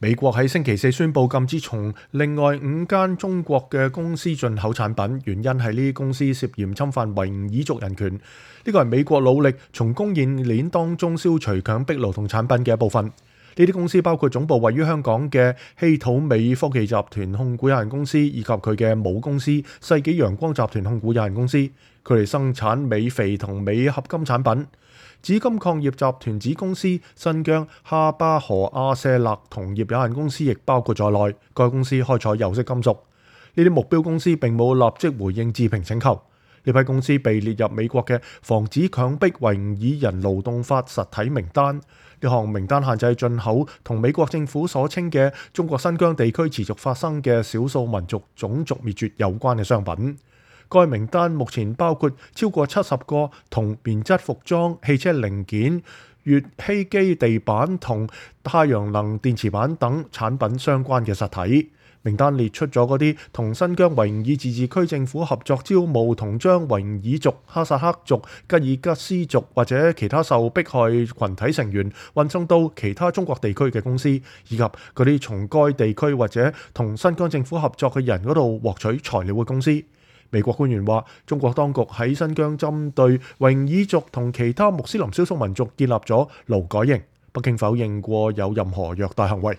美國喺星期四宣布禁止從另外5間中國嘅公司進口產品，原因係呢啲公司涉嫌侵犯維吾爾族人權。呢個係美國努力從供應鏈當中消除強迫勞動產品嘅一部分。呢啲公司包括總部位於香港嘅稀土美科技集團控股有限公司，以及佢嘅母公司世紀陽光集團控股有限公司。佢哋生產鎂肥同鎂合金產品。紫金礦業集團子公司新疆哈巴河阿舍勒銅業有限公司亦包括在內。該公司開採有色金屬。呢啲目標公司並冇立即回應置評請求。呢批公司被列入美國嘅防止強迫維吾爾人勞動法實體名單。呢項名單限制進口同美國政府所稱嘅中國新疆地區持續發生嘅少數民族種族滅絕有關嘅商品。該名單目前包括超過70個同棉質服裝、汽車零件、乙烯基地板同太陽能電池板等產品相關嘅實體。名單列出咗嗰啲同新疆維吾爾自治區政府合作招募同將維吾爾族、哈薩克族、吉爾吉斯族或者其他受迫害群體成員運送到其他中國地區嘅公司，以及嗰啲從該地區或者同新疆政府合作嘅人嗰度獲取材料嘅公司。美國官員話，中國當局喺新疆針對維吾爾族同其他穆斯林少數民族建立咗勞改營。北京否認過有任何虐待行為。